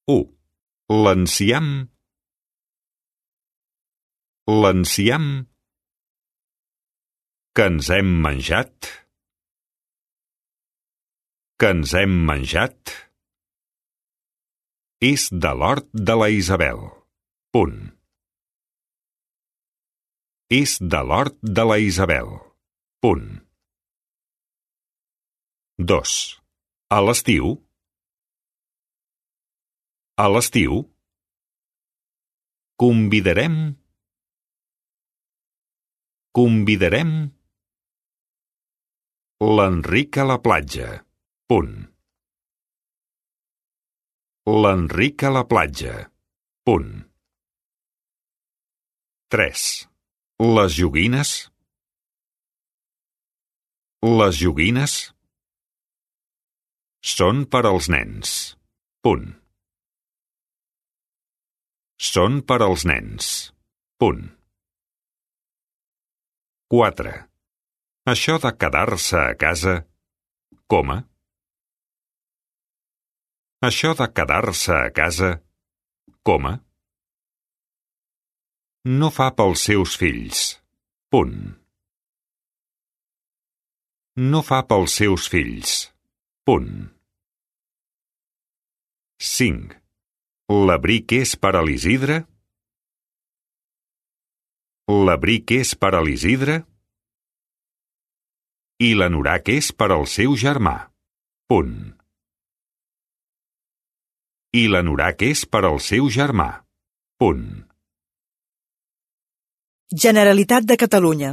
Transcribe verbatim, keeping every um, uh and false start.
u. L'enciam. L'enciam que ens hem menjat. Que ens hem menjat és de l'hort de la Isabel. Punt. És de l'hort de la Isabel. Punt. dos. A l'estiu. A l'estiu convidarem convidarem l'Enric a la platja. Punt. L'Enric a la platja. Punt. tres. Les joguines. Les joguines són per als nens. Punt. Són per als nens. Punt. quatre. Això de quedar-se a casa, coma. Això de quedar-se a casa, coma. No fa pels seus fills. Punt. No fa pels seus fills. Punt. cinc. L'abric és per a l'Isidre? L'abric és per a l'Isidre? I l'anorac és per al seu germà. Punt. I l'anorac és per al seu germà. Punt. Generalitat de Catalunya.